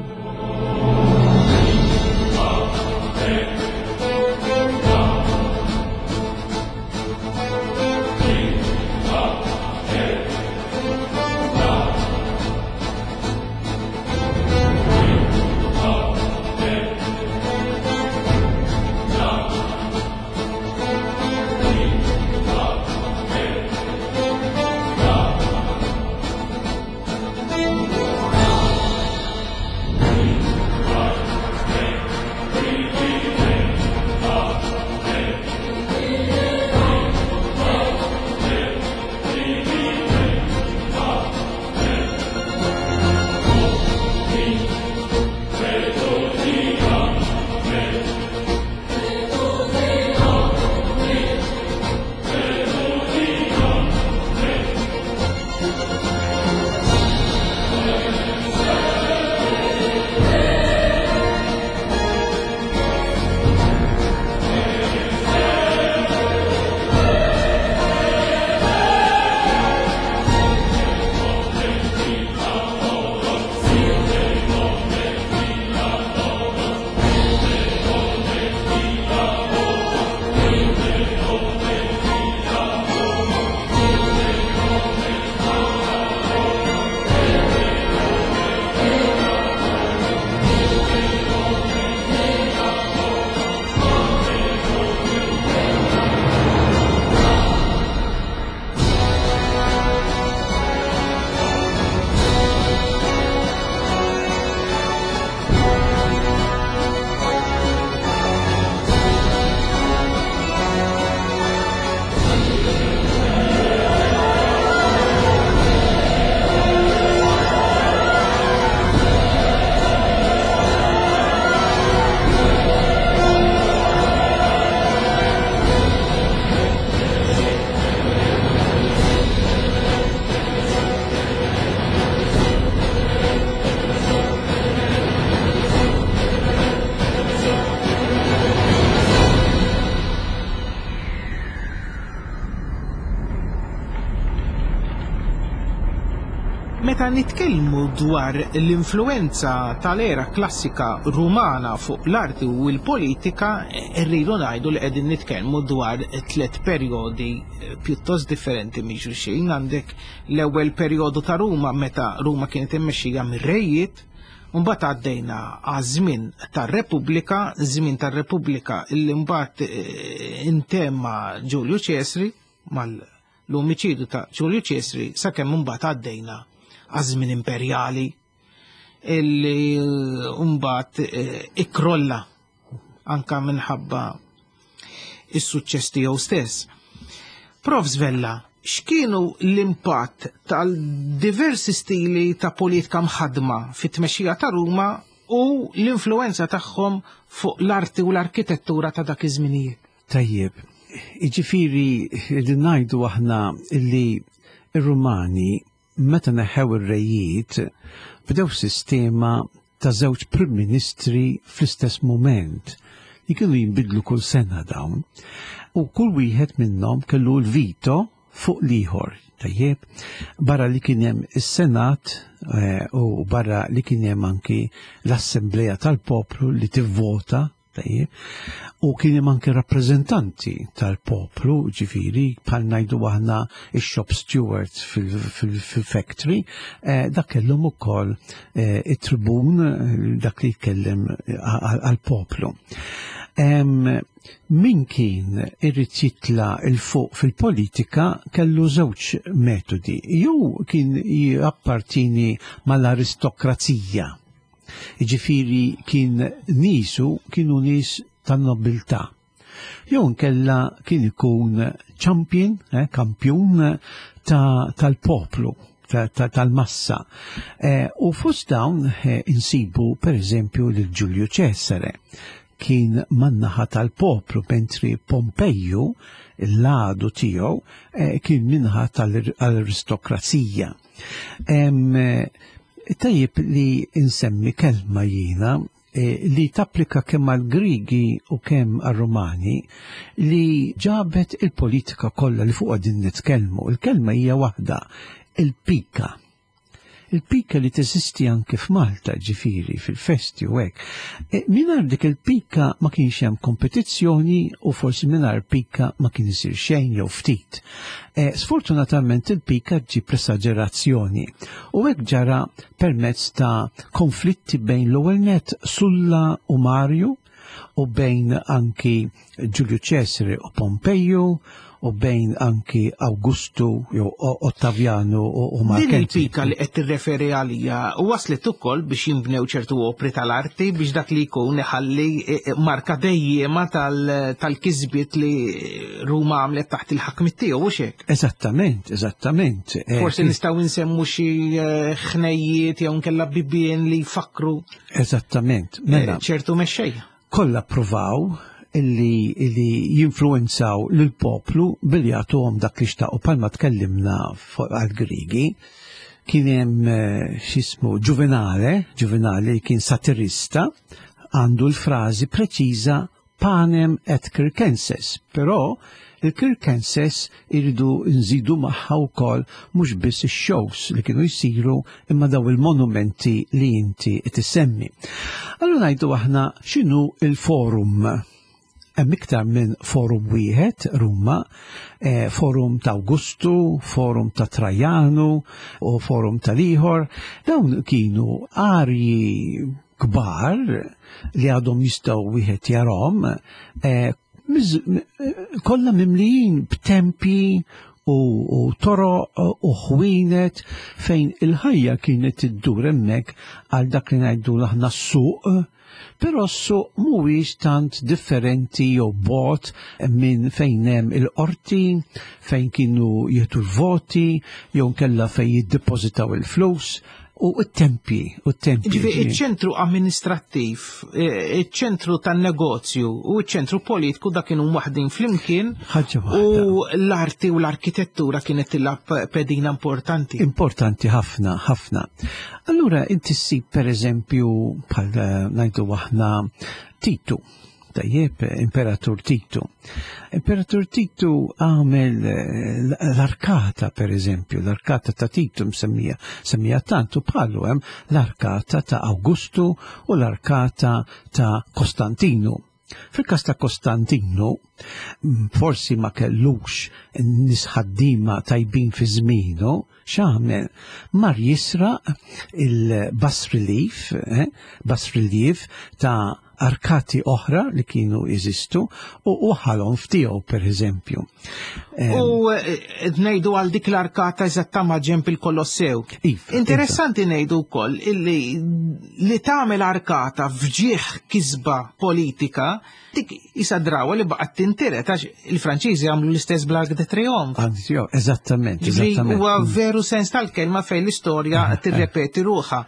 Meta nitkellmu dwar l-influenza tal-era klassika Rumana fuq l-arti u l-politika, rridu ngħidu li qegħdin nitkellmu dwar tliet perjodi pjuttost differenti minn xulxin. Għandek l-ewwel perjodu ta' Ruma meta Ruma kienet immexxija mir-rejiet, mbagħad għaddejna għaż-żmien tar-Repubblika, żmien tar-Repubblika illi mbagħad intemma Ġulju Ċesri mal-omiċidu ta' Ġulju Ċesri, sakemm mbagħad għaddejna għaż-żmien imperjali illi mbagħad ikkrolla anka minħabba is-suċċess tiegħu stess. Profs Vella, x'kienu l-impatt tal-diversi stili ta' politika mħadma fit-tmexxija ta' Ruma u l-influenza tagħhom fuq l-arti u l-arkitettura ta' dak iż-żminijiet? Tajjeb, jiġifieri li ngħidu aħna illi ir-Rumani meta neħew ir-rejiet bdew sistema ta' żewġ prim ministri fl-istess moment li kienu jinbidlu kull sena dawn, u kull wieħed minnhom kellu l-vito fuq l-ieħor. Tajjeb, barra li kien hemm is-Senat u barra li kien hemm anki l-Assembleja tal-Poplu li tivvota, tajjeb, u kien hemm anki rappreżentanti tal-poplu, ġifieri bħal ngħidu aħna ix-shop stewards fil-factory, dak kellhom ukoll it-tribun, dak li jitkellem għall-poplu. Min kien irid jitla' 'l fuq fil-politika kellu żewġ metodi. Jew kien jappartieni mal-aristokrazija, jiġifieri kien nisu kienu nies tan-nobiltà. Jew inkella kien ikun champion, eh, kampjun tal-poplu, tal-massa. U fost dawn insibu per eżempju lil Ġulju Ċesare, kien man-naħa tal-poplu, mentri Pompeju, l-għadu tiegħu, kien minnaħa tal-aristokrazija. Tajjeb li insemmi kelma jiena li tapplika kemm għal-Grigi u kemm għal-Rumani li ġabet il-politika kollha li fuq din nitkellmu. Il-kelma hija waħda, il-pika. Il-pika li teżisti anke f'Malta, ġifieri, fil-festi u hekk. Mingħajr dik il-pika ma kienx hemm kompetizzjoni u forsi mingħajr pika ma kien isir xejn jew ftit. Sfortunatament il-pika ġib l-esaġerazzjoni u hekk ġara permezz ta' konflitti bejn l-ewwel net Sulla u Marju u bejn anki Ġulju Ċesare u Pompeju u bejn anki Augustu jew Ottaviano u Mark. Din il-pika li qed tirreferi għalija waslet ukoll biex jinbnew ċertu opri tal-arti biex dak li jkun iħalli marka dejjema tal-kisbiet li Ruma għamlet taħt il-ħakmit tiegħu, u hekk. Eżattament, eżattament. Forsi nistgħu nsemmu xi ħnejjiet jew nkella bibien li jfakru. Eżattament, mela. Ċertu mexxejja. Kollha ppruvaw illi, illi jinfluenzaw lill-poplu billi jagħtuhom dak li xtaqu. Palma tkellimna għal-Grigi, kien hemm x'ismu Ġuvenale, Ġuvenale kien satirista, għandu l-frażi preċiża panem et circenses, però il-circenses iridu nżidu magħha wkoll mhux biss ix-shows li kienu jsiru imma daw il-monumenti li inti qed issemmi. Allura ngħidu aħna x'inhu il-forum. Hemm iktar minn forum wieħed Ruma, eh, forum ta' Augustu, forum ta' Trajanu u forum tal-ieħor. Dawn kienu arji kbar li għadhom jistgħu wieħed jarhom, eh, kollha mimlijin b'tempi u, u toroq u ħwienet fejn il-ħajja kienet iddur hemmhekk għal dak li ngħidu aħna s-suq. Però s-suq mhuwiex tant differenti jew bot minn fejn hemm il-qorti, fejn kienu jieħdu l-voti, jew nkella fejn jiddepożitaw il-flus, u t-tempi, u t-tempi. Ġifieri iċ-ċentru amministrattiv, iċ-ċentru tan-negozju u ċ-ċentru politiku dak kienu waħdin flimkien. Ħaġa waħda. U l-arti u l-arkitettura kienet tilgħab pedina importanti. Importanti ħafna, ħafna. Allura inti ssib per eżempju bħal ngħidu aħna Titu. Tajjeb, Imperatur Titu. Imperatur Titu għamel l-arkata, per eżempju, l-arkata ta' Titu msemmija, semmija tantu bħalu hemm l-arkata ta' Augustu u l-arkata ta' Kostantinu. Fil-kas ta' Kostantinu, forsi ma kellux nies ħaddiema tajbin fi żmienu, x'għamel? Mar jisraq il-bas relief, eh, bas relief ta' arkati oħra li kienu jeżistu u uħalhom ftiegħu per eżempju. U ngħidu għal dik l-arkata eżatta ma' ġenb il-Kolossew. Iva, Interessanti ngħidu wkoll illi li tagħmel arkata f'ġieħ kisba politika dik isa drawa li baqgħet tintiret għax il-Franċiżi għamlu l-istess bl-Arc de Triomphe. Anzi, jo, eżattament, eżattament. Huwa veru sens tal-kelma fejn l-istorja tirrepeti ruħha.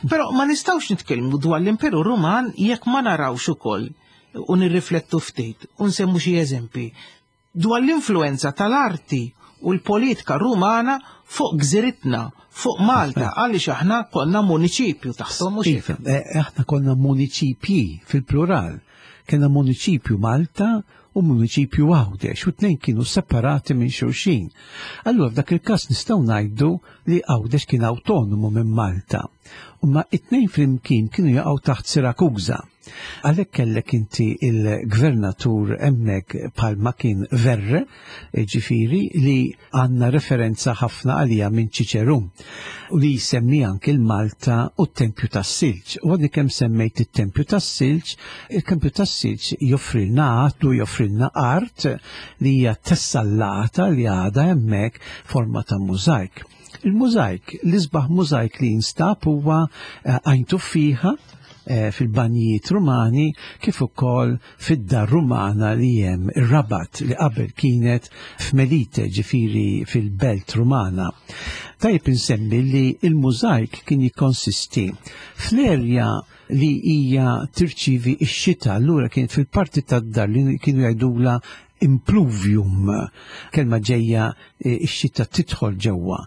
Però ma nistgħux nitkellmu dwar l-Imperu Ruman jekk ma narawx ukoll u nirriflettu ftit u nsemmu xi eżempi dwar l-influenza tal-arti u l-politika rumana fuq gżiritna, fuq Malta, għaliex aħna konna municipju taħtom u Iva, aħna konna municipji fil-plural. Kena municipju Malta u municipju Għawdex, u tnejn kienu separati minn xulxin. Allura f'dak il-każ nistgħu ngħidu li Għawdex kien autonomu minn Malta. Imma it-tnejn flimkien kienu jaqgħu taħt Sirakuża. Għalhekk kellek inti il-gvernatur hemmhekk bħalma kien Verre, ġifieri li għandna referenza ħafna għalija minn Ċiċerun u li jsemmi anke l-Malta u t-Tempju tas-Silġ. U għadni kemm semmejt it-Tempju tas-Silġ, il-Tempju tas-Silġ joffrilna għatlu joffrilna art li hija tessallata li għadha hemmhekk forma ta' mużajk. Il-mużajk, l-isbaħ mużajk li jinstab huwa Għajn Tuffieħa fil-banjijiet Rumani kif ukoll fid-dar Rumana li hemm ir-Rabat li qabel kienet f'Melite, ġifieri fil-Belt Rumana. Tajjeb insemmi li il-mużajk kien jikkonsisti fl-erja li hija tirċivi x-xita, allura kienet fil-parti tad-dar li kienu jgħidula impluvium, kelma ġejja ix-xita tidħol ġewwa.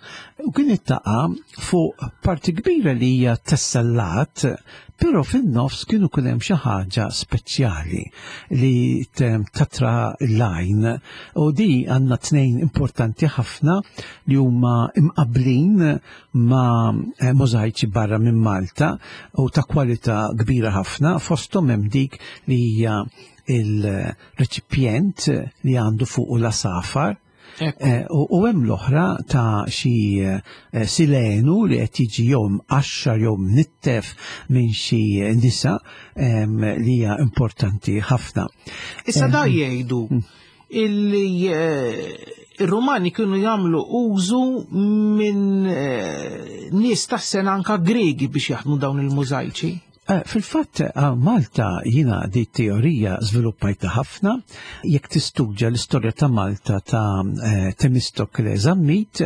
U kienet taqa' fuq parti kbira li hija tessellat, però fin-nofs kienu kien hemm xi ħaġa speċjali li tatra l-għajn. U di għandna tnejn importanti ħafna li huma imqablin ma' mużajċi barra minn Malta u ta' kwalità kbira ħafna, fosthom hemm dik li hija il-reċipjent li għandu fuq la safar. U hemm l-oħra ta' xi silenu li qed jiġi jew mqaxxar jew mnittef minn xi nisa li hija importanti ħafna. Issa da jgħidu illi ir-Rumani kienu jagħmlu użu minn nies tas-sena anka Gregi biex jaħdmu dawn il-mużajċi. Fil-fatt, Malta jina di teorija żviluppajta ħafna, jekk tistudja l-istorja ta' Malta ta' Temistokle Zammit,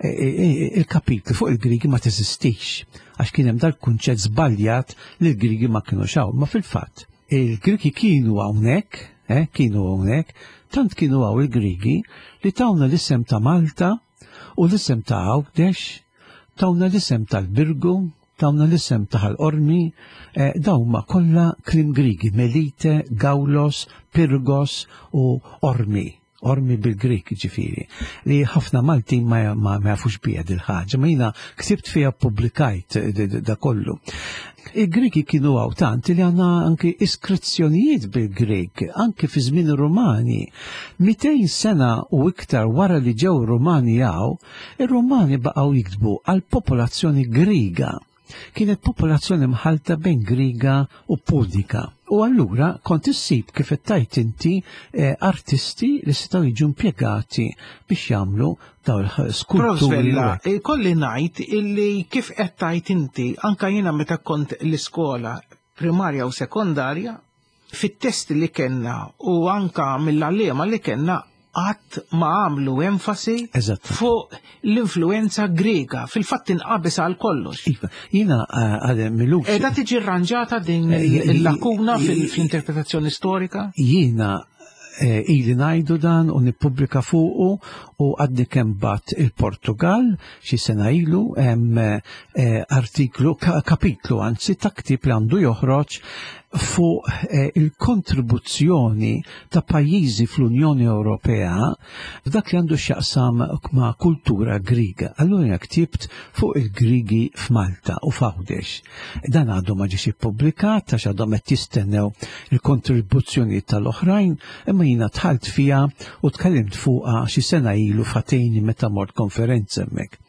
il-kapitlu fuq il-Grigi ma teżistix, għax kien hemm dal-kunċett żbaljat li l-Grigi ma kienu xaw, ma fil-fatt il-Grigi kienu hawnhekk, kienu hawnhekk, tant kienu hawn il-Grigi li tawna l-isem ta' Malta u l-isem ta' Għawdex, tawna l-isem tal-Birgu, tawna l-isem ta' Ħal-Qormi, dawn ma kollha kliem Grigi, Melite, Gawlos, Pirgos u Ormi, Ormi bil-Grik ġifieri, li ħafna Maltin ma, ma, ma jafux bija dil-ħaġa, ma jiena ksibt fiha pubblikajt da kollu. Il-Grigi kienu għaw tant li għandna anki iskrizzjonijiet bil-Grik, anki fi żmien ir-Rumani. mitejn sena u iktar wara li ġew Rumani għaw, ir-Rumani baqgħu jiktbu għal popolazzjoni Griga. Kienet popolazzjoni mħalta bejn Griga u Punika. U allura kont issib kif qed inti eh, artisti li setgħu jiġu impjegati biex jagħmlu dawn il-skulturi. Professor, kolli ngħid illi kif qed tajt inti anka jiena meta kont l-iskola primarja u sekondarja, fit-testi li kellna u anka mill-għalliema li kellna qatt ma għamlu enfasi fuq l-influenza Grega, fil-fatt inqabes għal kollox. Iva, jiena għadem milux. Edha tiġi rranġata din il-lakuna fil-interpretazzjoni storika? Jiena ili ngħidu dan u nippubblika fuqu u għadni kemm bat il-Portugal xi sena ilu hemm artiklu, kapitlu anzi ta' ktieb li għandu joħroġ fuq eh, il-kontribuzzjoni ta' pajjiżi fl-Unjoni Ewropea f'dak li għandu x'jaqsam ma' kultura Griega. Allura jiena ktibt fuq il-Grigi f'Malta u f'Għawdex. Dan għadu ma ġiex ippubblikat għax għadhom qed jistennew il-kontribuzzjoni tal-oħrajn, imma jiena dħalt fiha u tkellimt fuqha xi sena ilu f'Ateni meta mort konferenza hemmhekk.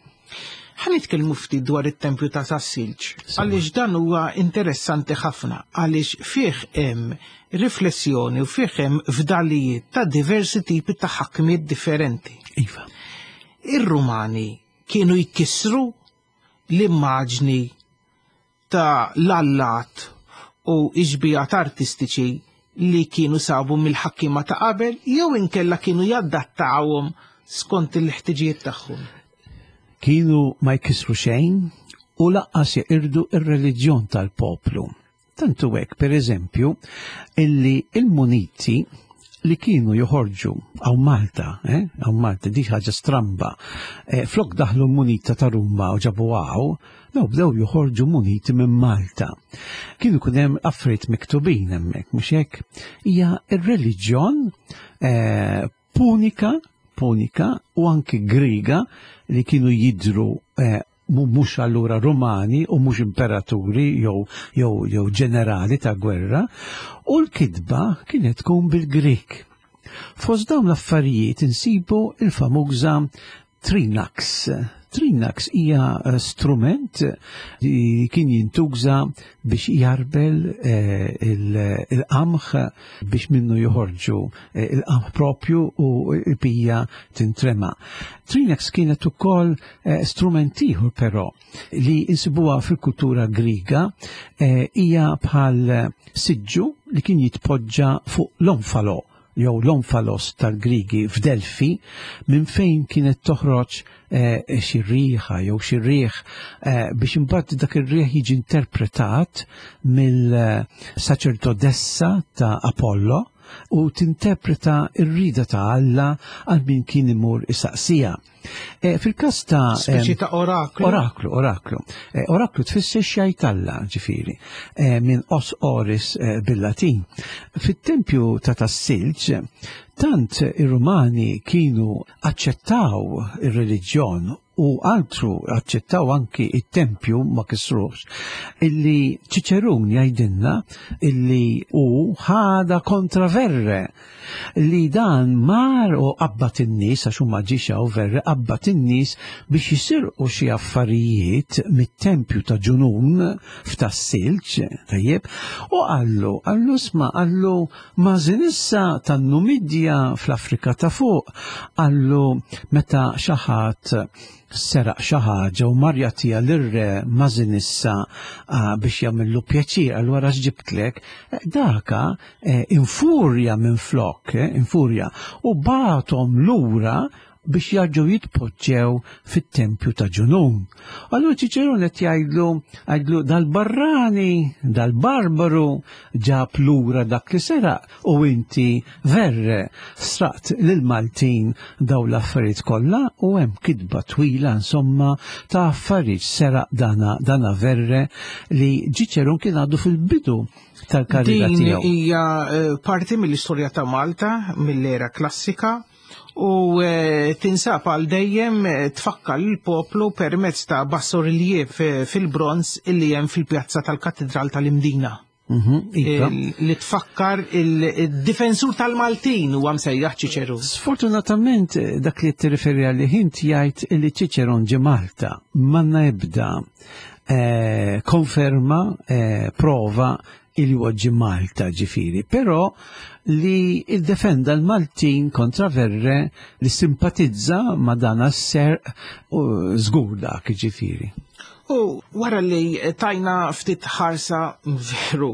Ħa nitkellmu ftit dwar it-tempju ta' Tas-Silġ, għaliex dan huwa interessanti ħafna, għaliex fih hemm riflessjoni u fih hemm fdalijiet ta' diversi tipi ta' ħakmiet differenti. Iva. Ir-Rumani kienu jkissru l-immaġni ta' l-allat u xbihat artistiċi li kienu sabu mill-ħakkima ta' qabel jew inkella kienu jaddattawhom skont il-ħtiġijiet tagħhom. Kienu ma jkissru xejn u lanqas jeqirdu ir-reliġjon tal-poplu. Tantu hekk, per eżempju, illi il-muniti li kienu joħorġu hawn Malta, eh? Hawn Malta, di ħaġa stramba, eh, flok daħlu munita ta' Ruma u ġabu hawn, daw bdew joħorġu muniti minn Malta. Kienu kun hemm affarijiet miktubin hemmhekk, mhux hekk? Hija ir-reliġjon eh, punika, punika u anki Griega li kienu jidru eh, mhux allura Rumani u mhux imperaturi jew jew jew ġenerali ta' gwerra, u l-kitba kienet tkun bil-Grik. Fost dawn l-affarijiet insibu il-famuża Trinax. Trinax hija eh, strument li kien jintuża biex jarbel eh, il-qamħ biex minnu joħorġu eh, il-qamħ propju u l-bija tintrema. Trinax kienet ukoll strument ieħor però li insibuha fil-kultura Griega, hija bħal siġġu li kien jitpoġġa fuq l-omfalo jew l-omfalos tal-Grigi f'Delfi, minn fejn kienet toħroġ eh, xi riħa jew xi riħ eh, biex imbagħad dak ir-riħ jiġi interpretat mill-saċerdotessa ta' Apollo u tinterpreta r-rida ta' Alla għal min kien imur isaqsija. E, Fil-kas ta' Speċi ta' oraklu. Oraklu, oraklu. E, oraklu tfisser x'jgħid Alla, ġifieri, e, minn os oris e, bil-Latin. Fit-tempju ta' Tas-Silġ, tant ir-Rumani kienu aċċettaw ir-reliġjon u altru aċċettaw anki it-tempju ma kisrux, illi Ċiċerun jgħidilna illi u ħada kontra Verre li dan mar u qabbat in-nies, għax huma ġiex hawn Verre, qabbat in-nies biex jisirqu xi affarijiet mit-tempju ta' Ġunun f'Tas-Silġ, tajjeb, u qallu, qallu sma, qallu Masinissa tan-Numidja fl-Afrika ta' fuq, qallu meta xi ħadd seraq xi ħaġa u mar jagħtiha lir-re Masinissa ah, biex jagħmillu pjaċir, allura x'ġibtlek, eh, daka eh, infurja minn flok, eh, infurja, u bagħathom lura biex jarġgħu jitpoġġew fit-tempju ta' Ġunun. Allura Ċiċerun qed jgħidlu, jgħidlu dal-barrani, dal-barbaru ġab lura dak li seraq u inti Verre sraqt lil-Maltin daw l-affarijiet kollha, u hemm kitba twila insomma ta' affarijiet seraq dana, dana Verre li Ċiċerun kien għadu fil-bidu tal-karriera Din tiegħu. hija eh, parti mill-istorja ta' Malta, mill-era klassika, u eh, tinsab għal dejjem eh, tfakkar l-poplu permezz ta' bassoriliev eh, fil-bronz illi hemm fil-pjazza tal-Katedral tal-Imdina. Mhm, iva. Il- Li tfakkar il-difensur tal-Maltin huwa msejjaħ Ċiċerun. Sfortunatament dak li tirreferi għalih int jgħid li Ċiċeron ġie Malta m'għandna ebda eh, konferma, eh, prova il huwa ġie Malta ġifieri, però li iddefenda l-Maltin kontra Verre li simpatizza ma dan s-serq u żgur dak ġifieri. U wara li tajna ftit ħarsa veru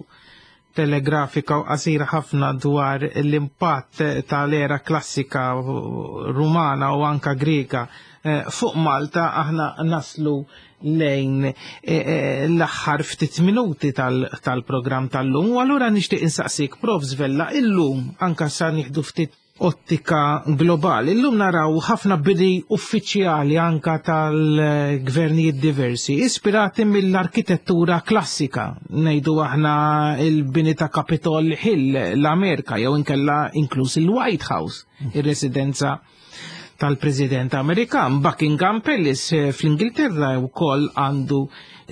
telegrafika u qasira ħafna dwar l-impatt tal-era klassika rumana u anka Greka eh, fuq Malta, aħna naslu lejn eh, eh, l-aħħar ftit minuti tal-programm tal-lum. U allura nixtieq insaqsik, Prof Vella, illum anka sa nieħdu ftit ottika globali. Illum naraw ħafna bini uffiċjali anka tal-gvernijiet diversi, ispirati mill-arkitettura klassika. Ngħidu aħna il-bini ta' Capitol Hill l-Amerika, jew inkella inkluż il-White House, ir-residenza tal-President Amerikan. Buckingham Palace fl-Ingilterra wkoll għandu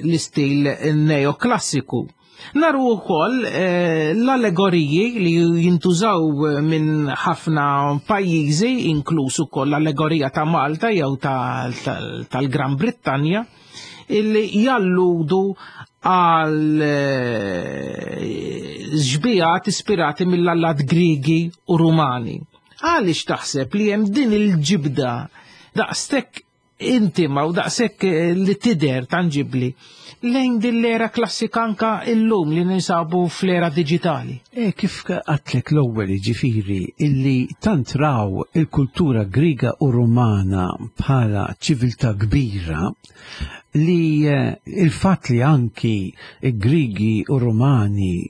l-istil neoklassiku. Naru wkoll eh, l-allegoriji li jintużaw minn ħafna pajjiżi, inkluż ukoll l-allegorija ta' Malta jew tal-Gran Brittanja, illi jalludu għal xbijat ispirati mill-allat Grigi u Rumani. Għaliex taħseb li hemm din il-ġibda daqstek intima u daqshekk li tidher tanġibli lejn din l-era klassika anka illum li ninsabu fl-era diġitali? E kif għatlek l-ewwel, ġifieri illi tant raw il-kultura Griega u Rumana bħala ċiviltà kbira li il-fatt li anki Grigi u Rumani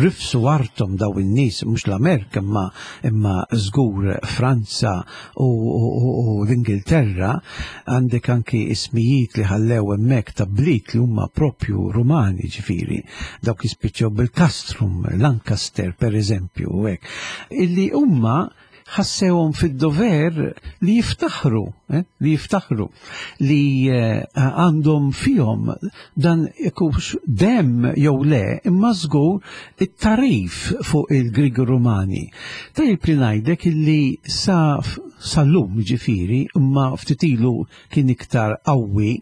rifsu artom daw in-nies, mhux l-Amerika imma imma żgur Franza u, u, u l-Ingilterra, għandek anki ismijiet li ħallew hemmhekk ta' bliet li huma propju Rumani, ġifieri dawk jispiċċew bil-Castrum, Lancaster per eżempju, u hekk, illi huma ħassewhom fid-dover li jiftaħru, eh, li jiftaħru li eh, għandhom fihom dan ikux dem jew le, imma żgur it-tarif fuq il-Grigi Rumani. Tajjeb li ngħidlek illi sa sal-lum ġifieri, imma ftit ilu kien iktar qawwi,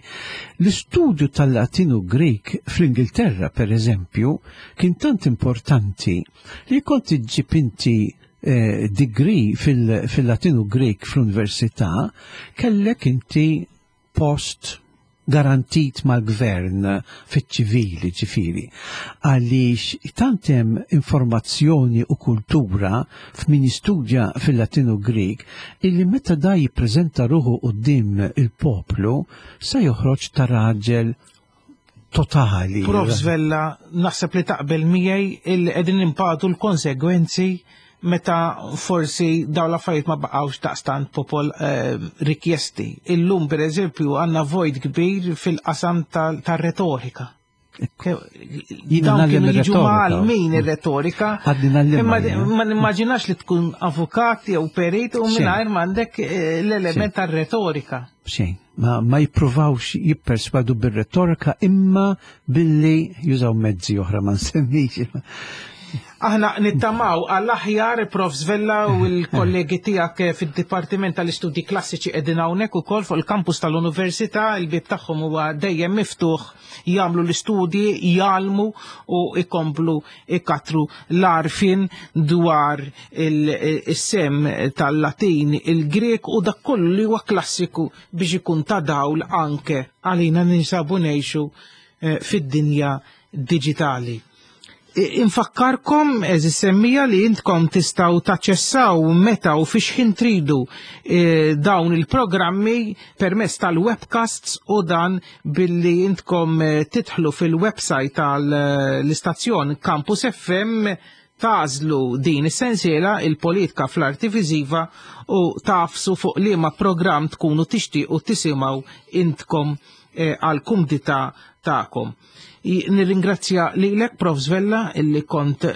l-istudju tal-Latinu Grek fl-Ingilterra per eżempju kien tant importanti li kont iġġib inti Eh, degree fil-Latinu Grek fl-Università, kellek inti post garantit mal-gvern fiċ-ċivili, ġifieri. Għaliex tant hemm informazzjoni u kultura f'min jistudja fil-Latinu Grek illi meta da jippreżenta ruħu quddiem il-poplu sa joħroġ ta' raġel totali. Prof Vella, naħseb li taqbel miegħi illi qegħdin impatu l-konsegwenzi meta forsi dawn l-affarijiet ma baqgħux daqstant popol eh, rikjesti. Illum per eżempju għandna vojt kbir fil-qasam tar-retorika. Dawn kienu jiġu mgħallmin ir-retorika. Imma ma nimmaġinax li tkun avukat jew perit u mingħajr m'għandek l-element tar-retorika. Xejn, ma, ma jippruvawx jipperswadu bir-retorika imma billi jużaw mezzi oħra ma nsemmix. Aħna nittamaw għall-aħjar, Prof Vella u l-kollegi tiegħek fid-Dipartiment tal-Istudji Klassiċi qegħdin hawnhekk ukoll fuq il-kampus tal-Università, il-bieb tagħhom huwa dejjem miftuħ, jagħmlu l-istudji, jgħallmu u ikomplu ikatru l-għarfien dwar is-sem tal-Latin, il-Grek u dak kollu li huwa klassiku biex ikun ta' dawl anke għalina ninsabu ngħixu fid-dinja diġitali. Infakkarkom, eżis semmija, li intkom tistgħu taċċessaw meta u fiex ħin tridu e, dawn il-programmi permezz tal-webcasts u dan billi intkom titħlu fil-website tal-istazzjon Campus F M, tażlu din is-sensiela il-politika fl-arti viżiva u tafsu fuq liema programm tkunu tixtiequ tisimgħu intkom għal kumdità tagħkom. Nirringrazzja lilek, Prof Vella, illi kont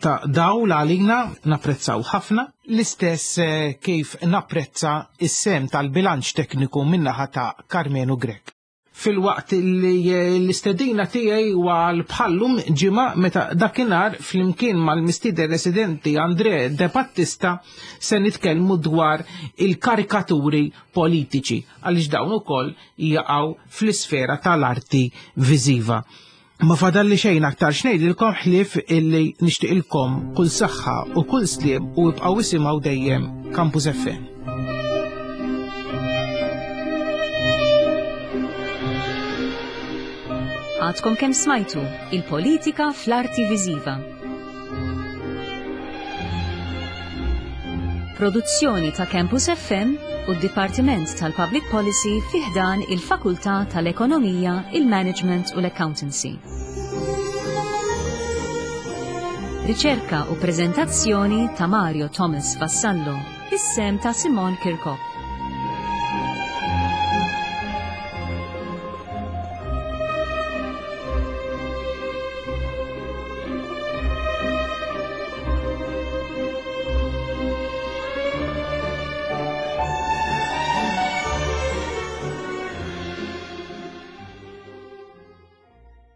ta' dawl għalina, napprezzaw ħafna. L-istess kif napprezza is-sem tal-bilanċ tekniku min-naħa ta' Karmenu Grek. Fil-waqt li l-istedina tiegħi huwa bħallum ġimgħa meta dakinhar flimkien mal-mistieden residenti Andre De Battista se nitkellmu dwar il-karikaturi politiċi, għaliex dawn ukoll jaqgħu fl-isfera tal-arti viżiva. Ma fadalli xejn aktar x'ngħidilkom ħlief illi nixtieqilkom kull saħħa u kull sliem u ibqgħu isimgħu dejjem Campus F M. Għadkom kemm smajtu il-politika fl-arti viżiva. Produzzjoni ta' Campus F M u d-Dipartiment tal-Public Policy fi ħdan il-Fakultà tal-Ekonomija, il-Management u l-Accountancy. Riċerka u prezentazzjoni ta' Mario Thomas Vassallo, bis-sehem ta' Simon Kirkop.